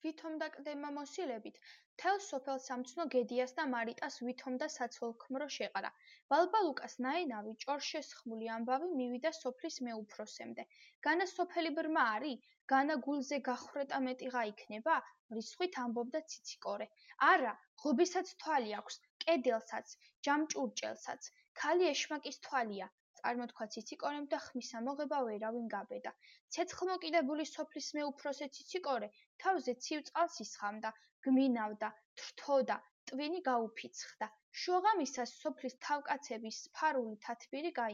ვითომ და კდება მოსილებით, მთელ სოფელ სამცნო გედიას და მარიტას ვითომ და საცოლ ქმრო შეყარა. ბალბალუკას ნაენავი ჭორშესხმული ამბავი მივიდა სოფლის მეუფროსემდე. განა სოფელი ბრმა არი? განა გულზე გახრეტა მეტიღა იქნება? რისხვით ამბობდა ციციკორე. არა, ღობისაც თვალი აქვს, კედელსაც, ჯამჭურჭელსაც, ქალი ეშმაკის თვალია. წარმოთქვა ციციკორემ და ხმის ამოღება ვერავინ გაბედა. ცეცხლმოკიდებული სოფლის მეუფროსე ციციკორე თავზე ცივ წყალს ისხამდა, გმინავდა, თრთოდა, ტვინი გაუფიცხდა. შუაღამისას სოფლის თავკაცების სფარული თათბირი გაიმართა.